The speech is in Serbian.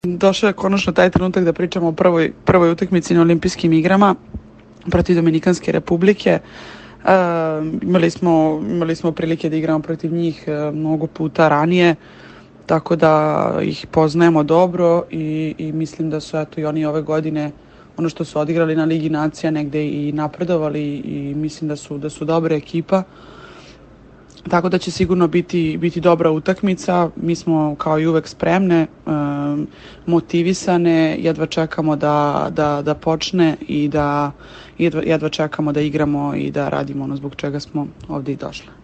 Došao je konačno taj trenutak da pričamo o prvoj utakmici na Olimpijskim igrama protiv Dominikanske Republike. Imali smo prilike da igramo protiv njih mnogo puta ranije, tako da ih poznajemo dobro i mislim da su i oni ove godine ono što su odigrali na Ligi nacija negde i napredovali i mislim da su dobra ekipa. Tako da će sigurno biti dobra utakmica. Mi smo kao i uvek spremne, motivisane, jedva čekamo da počne i jedva čekamo da igramo i da radimo ono zbog čega smo ovdje i došli.